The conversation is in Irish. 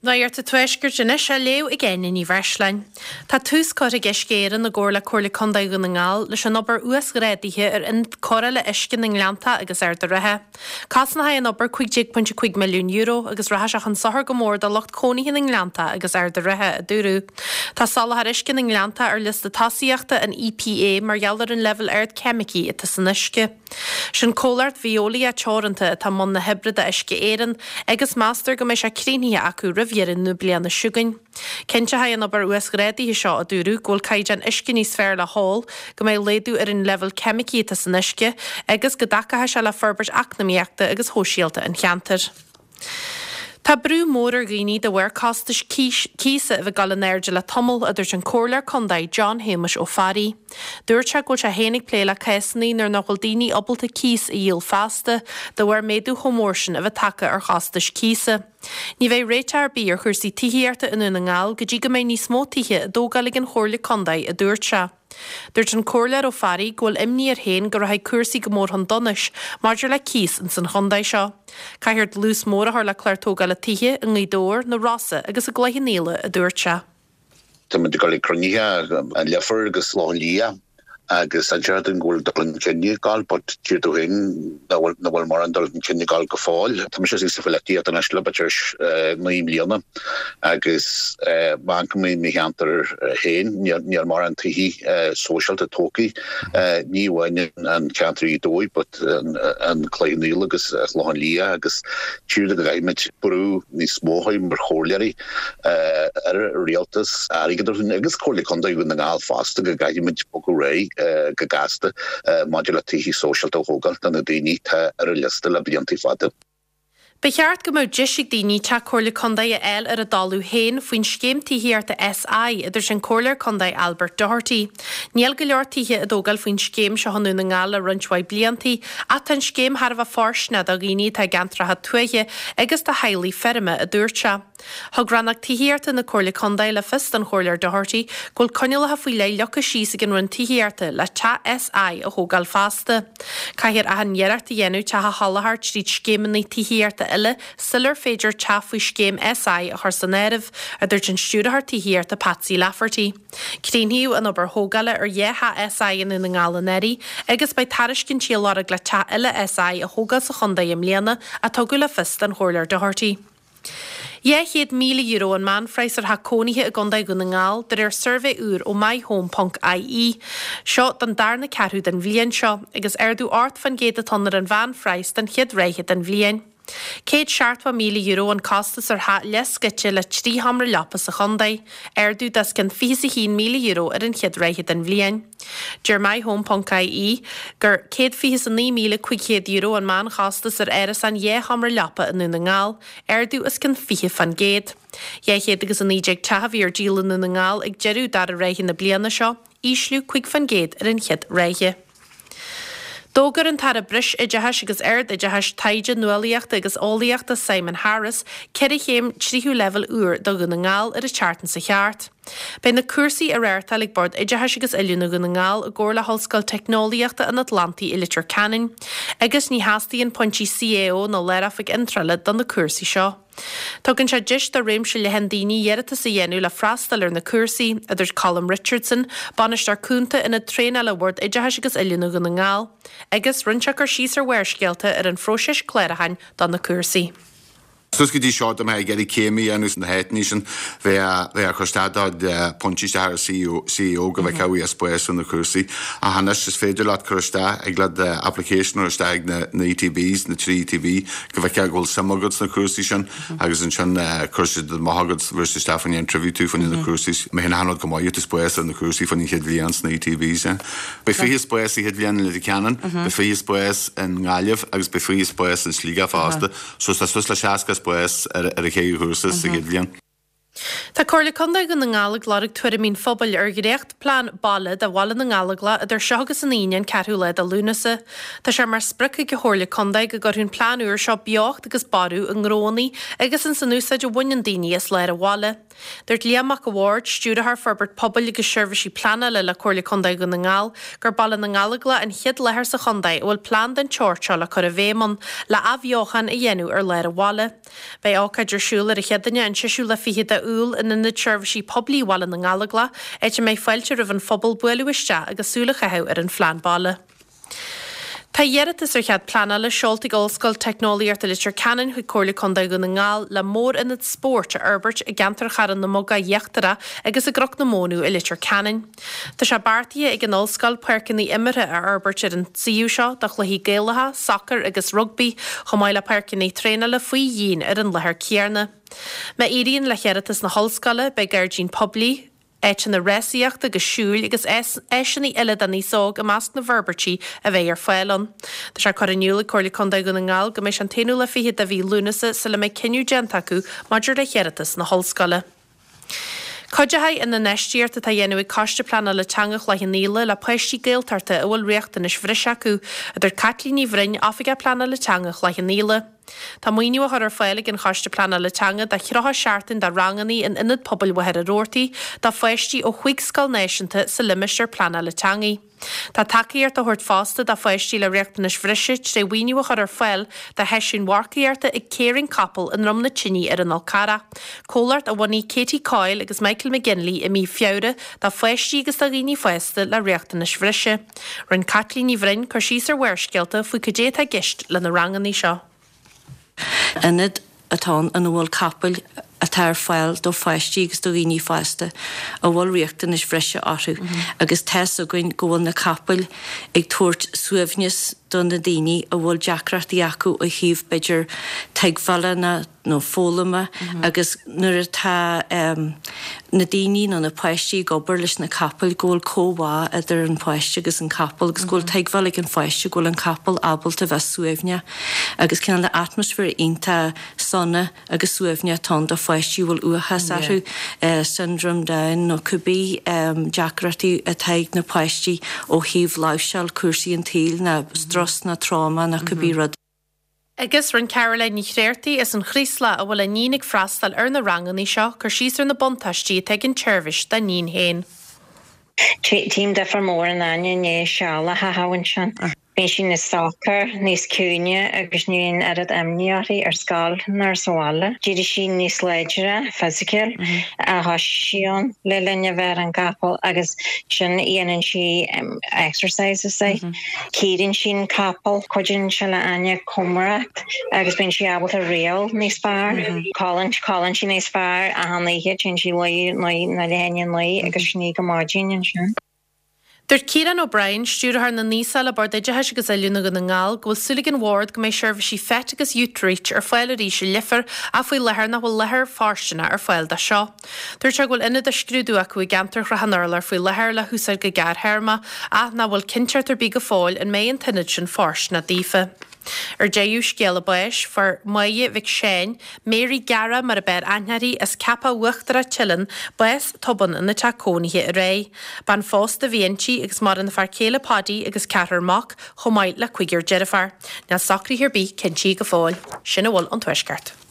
Nuacht an Tuaiscirt anois á léamh ag Áine Ní Bhreisleáin. Tá tús curtha ag Uisce Éireann i gcomhar le Comhairle Contae Dhún na nGall leis an obair uasghrádaithe ar ionad cóireála uisce na nGleanntach agus Ard a' Rátha. Cosnóidh an obair €15.5 milliún agus rachaidh sé chun sochair go mór do lucht cónaithe na nGleanntach agus Ard a' Rátha, a dúradh. Tá soláthar uisce na nGleanntach ar liosta tosaíochta an EPA mar gheall ar an leibhéal ard ceimicí atá san uisce. Sin comhlacht Veolia Teoranta atá i mbun na hoibre do Uisce Éireann agus meastar go mbeidh sé críochnaithe acu roimh dheireadh na bliana seo chugainn. Cinnteoidh an obair uasghrádaithe seo, a dúradh, go bhfuil caighdeán uisce níos fearr le hól, go mbeidh laghdú ar an leibhéal ceimicí atá san uisce agus go dtacóidh sé le forbairt eacnamaíochta agus shóisialta an cheantair. Tá brú mór ar dhaoine de bharr costais cíosa a bheith ag dul in airde le tamall, a dúirt an Comhairleoir Contae John Shéamuis Ó Fearraigh. Dúirt sé go bhfuil sé féin ag plé le cásanna nuair nach bhfuil daoine ábalta cíos a dhíol feasta de bharr méadú chomh mór sin a bheith tagtha ar chostais cíosa. Ní bheidh réiteach ar bith ar chúrsaí tithíochta i nDún na nGall go dtí go mbeidh níos mó tithe á dtógáil ag an Chomhairle Contae, a dúirt sé. Dúirt an Comhairleoir Ó Fearraigh go bhfuil imní air féin go rachaidh cúrsaí go mór chun donais maidir le cíos ins an chontae seo. Caithfear dlús mór a chur le clár tógála tithe i nGaoth Dobhair, na Rosa agus i gCloich Cheann Fhaola, a dúirt sé. Tá muid ag dul ag cruinnithe an Leifear agus Loch an Lia agus deirtear dúinn go bhfuil dul chun cinn ag gabháil but deir tú féin nach bhfuil nach bhfuil mórán dul chun cinn ag gabháil go fóill. Tá mise sa pholaitíocht anois le b'fhéidir 9 mbliana Agus má amharcann mé i mo cheantar féin, níl mórán tithe sóisialta tógtha, ní amháin an ceantar Ghaoth Dobhair but an Cloich Cheann Fhaola agus an Clochán Liath agus tíre go gcaithfimid brú níos mó a chur mar chomhairleoirí ar an rialtas airgead a thabhairt agus Comhairle Contae Dhún na nGall fosta go gcaithfimid bogadh ar aghaidh go gasta maidir le tithe sóisialta a thógáil do na daoine atá ar an liosta le blianta fada. Ba cheart go mbeadh deis ag daoine teach Comhairle Contae a fháil ar a dtoiliú féin faoin scéim tithíochta SI, a dúirt an Comhairleoir Contae Albert Doherty. Níl go leor tithe á dtógáil faoin scéim seo i nDún na nGall le roinnt mhaith bliantaí ach tá an scéim thar a bheith fóirsteanach do dhaoine atá i gceantracha tuaithe agus do theaghlaigh feirme, a dúirt sé. Thug Rannóg Tithíochta na Comhairle Contae le fios don Chomhairleoir Doherty go bhfuil coinníollacha faoi leith leagtha síos ag an Roinn Tithíochta le teach SI a thógáil feasta. Caithfear achan iarracht a dhéanamh teach a sholáthar tríd scéimeanna tithíochta eile sular féidir teach faoi scéim SI a chur san áireamh, a dúirt an Stiúrthóir Tithíochta Patsy Lafferty. Críochnaíodh an obair thógála ar dhá theach SI i nDún na nGall anuraidh agus beidh tairiscintí á lorg le teach eile SI a thógáil sa chontae i mbliana, a tugadh le fios don Chomhairleoir Doherty. €200,000 an meánphraghas ar theach cónaithe i gContae Dhún na nGall, de réir suirbhé úr ó myhome.ie. Seo don darna ceathrú den bhliain seo, agus ardú 8% atá ann ar an mheánphraghas don chéad ráithe den bhliain. €170,000 an costas ar theach leathscoite le 3 sheomra leapa sa chontae, ardú d'os cionn €21,000 ar an chéad ráithe den bhliain. Deir myhome.ie gur €129,500 an meánchostas ar árasán dhá sheomra leapa i Ndún na nGall, ardú os cionn 20%. 219 teach a bhí ar díol i nDún na nGall ag deireadh dara ráithe na bliana seo, ísliú 5% ar an chéad ráithe. D'fhógair an tAire Breisoideachais agus Ard-Oideachais, Taighde, Nuálaíochta agus Eolaíochta Simon Harris ceithre chéim tríú leibhéal úr do Dhún na nGall ar an tseachtain seo thart. Beidh na cúrsaí á reáchtáil ag Bord Oideachais agus Oiliúna Dhún na nGall i gcomhar le hOllscoil Teicneolaíochta an Atlantaigh i Leitir Ceanainn agus ní theastaíonn pointí CAO ná Lároifig Iontrála do na cúrsaí seo. Tugann sé deis do réimse leathan daoine iarratas a dhéanamh le freastal ar na cúrsaí, a dúirt Colm Richardson, Bainisteoir Cúnta Ionad Traenála Bhord Oideachais agus Oiliúna Dhún na nGall, agus rinne sé cur síos ar Bharrscéalta ar an phróiseas clárúcháin do na cúrsaí. Suas go dtí seo dá mbeifeá ag iarraidh céim a dhéanamh sna háiteanna sin, bheadh ort cur isteach do phointí isteach ar CAO go bhfeicfeá bhí spás do na cúrsaí. Ach anois is féidir leat cur isteach, thig leat application a chur isteach ag na ETBs, na 3 ETB, go bhfeicfeá go bhfuil suim agat sna cúrsaí sin agus ansin cuirfidh siad amach agat, bhéarfaidh siad isteach fá choinne interview tú fá choinne na cúrsaí. Mé féin achan rud go maith, tá spás ar na cúrsaí fá choinne an chéad bhliain sna ETBs. Beidh 20 spás sa chéad bhliain i Leitir Ceanainn, beidh 20 spás i nGaillimh agus beidh 20 spás in Sligeach fosta. So tá suas le 60 spás ar an chéad chúrsa sa chéad bhliain. Tá Comhairle Contae Dhún na nGall ag lorg tuairimí an phobail ar dhréachtphlean baile do Bhaile na nGallóglach idir seo agus an Aoine an 4ú lá de Lúnasa. Tá sé mar sprioc ag an Chomhairle Contae go gcuirfidh an plean úr seo beocht agus borradh i ngnóanna agus ins an úsáid a bhaineann daoine as lár an bhaile. Dúirt Liam Mac a' Bhaird, Stiúrthóir Forbairt Pobail agus Seirbhísí Pleanála le Comhairle Contae Dhún na nGall, gur Baile na nGallóglach an chéad láthair sa chontae a bhfuil plean den tseort seo le cur i bhfeidhm ann le athbheochan a dhéanamh ar lár an bhaile. Beidh ócáid ar siúl ar an Chéadaoine an seisiú lá fichead de Iúil in Ionad Seirbhísí Poiblí Bhaile na nGallóglach, áit a mbeidh fáilte roimh an phobal buaileadh isteach agus súil a chaitheamh ar an phlean baile. Tá iarratas ar chead pleanála seolta ag Ollscoil Teicneolaíochta Leitir Ceanainn chuig Comhairle Contae Dhún na nGall le mórionad spóirt a fhorbairt i gceantar Charraig na mBogach Íochtarach agus i gCnoc na Mónadh i Leitir Ceanainn. Tá sé beartaithe ag an ollscoil páirceanna imeartha a fhorbairt ar an suíomh seo do chluichí Gaelacha, sacar agus rugbaí, chomh maith le páirceanna traenála faoi dhíon ar an láthair céanna. Má éiríonn le hiarratas na hollscoile, beidh gairdín poiblí, áiteanna rásaíochta agus siúil agus áiseanna eile don aos óg i measc na bhforbairtí a bheidh ar fáil ann. Tá sé curtha in iúl ag Comhairle Contae Dhún na nGall go mbeidh sé an t-aonú lá fichead de mhí Lúnasa sula mbeidh cinneadh déanta acu maidir le hiarratas na hollscoile. Cuideoidh an infheistíocht atá á dhéanamh ag Coiste Pleanála Teanga Chloich Cheann Fhaola le páistí Gaeltachta a bhfuil riachtanais bhreise acu, a dúirt Caitlín Ní Bhroin, Oifigeach Pleanála Teanga Chloich Cheann Fhaola. Tá maoiniú á chur ar fáil ag an Choiste Pleanála Teanga do 30 seachtain de ranganna in Ionad Pobail Mhachaire Rabhartaigh do pháistí ó chúig scoil náisiúnta sa limistéar pleanála teanga. Tá tacaíocht á thabhairt fosta do pháistí le riachtanais bhreise tré mhaoiniú a chur ar fáil do sheisiúin mharcaíochta ag Caring Capall i nDroim na Tine ar an Fhál Carrach, comhlacht a bhunaigh Katie Coyle agus Michael McGinley i mí Feabhra do pháistí agus do dhaoine fásta le riachtanais bhreise. Rinne Caitlín Ní Bhroin cur síos ar Bharrscéalta faoi cad é atá i gceist le na ranganna seo. Ionad atá ann ina bhfuil capaill atá ar fáil do pháistí agus do dhaoine fásta a bhfuil riachtanais bhreise orthu agus tá's againn go bhfuil na capaill ag tabhairt suaimhneas do na daoine a bhfuil deacrachtaí acu ó thaobh b'fhéidir tuigbheála nó nó foghlama agus nuair atá na daoine nó na páistí ag obair leis na capaill go bhfuil comhbhá idir an páiste agus an capall agus go bhfuil tuigbheáil ag an pháiste go bhfuil an capall ábalta bheith suaimhneach agus cineál de atmaisféar iontach sona agus suaimhneach atá ann do pháistí a bhfuil uathachas orthu, syndrome Down nó cibé deacrachtaí atá ag na páistí ó thaobh láimhseáil cúrsaí an tsaoil nó strus nó tráma nó cibé rud. Agus rinne Caroline Ní Chréartaigh as an Chraoslach, a bhfuil a níon ag freastal ar na ranganna seo, cur síos ar na buntáistí atá ag an tseirbhís dá níon féin. Tchím difear mór in Áine i ndiaidh seal a chaitheamh ansin. Bíonn sí níos socair, níos ciúine agus ní bhíonn oiread imní uirthi ar scoil ná sa bhaile. D'éirigh sí níos láidre physical a thoisigh sí ann le linn a bheith ar an gcapall agus sin dhéanann sí exercises. Cíorann sí an capall, cuidíonn sé le Áine chomaireacht agus bíonn sí ábalta riail níos fearr. Codlaíonn, codlaíonn sí níos fearr achan oíche, téann sí luí nó leath i ndiaidh a 9 agus 9 go maidin ansin. Dúirt Ciarán O'Brien, Stiúrthóir na nAosach le Bord Oideachais agus Oiliúna Dhún na nGall, go bhfuil súil ag an Bhord go mbeidh seirbhísí FET agus Youthreach ar fáil arís i Leifear ach faoi láthair nach bhfuil láthair fóirsteanach ar fáil dó seo. Dúirt sé go bhfuil ionad á scrúdú acu i gceantar Shrath an Urláir faoi láthair le húsáid go gearrthéarma ach nach bhfuil cinnteacht ar bith go fóill an mbeidh an t-ionad sin fóirsteanach daofa. Ar deireadh, scéala báis, fuair Máire Mhic Seáin, Mary Geara mar a b'fhearr aithne uirthi, as Ceapach Uachtarach, Teileann, bás tobann ina teach cónaithe aréir. Bean phósta a bhí inti agus maireann a fear céile Paudie agus ceathrar mac, chomh maith le cúigear deirféar. Níl socruithe ar bith cinntithe go fóill. Sin a bhfuil ón Tuaisceart.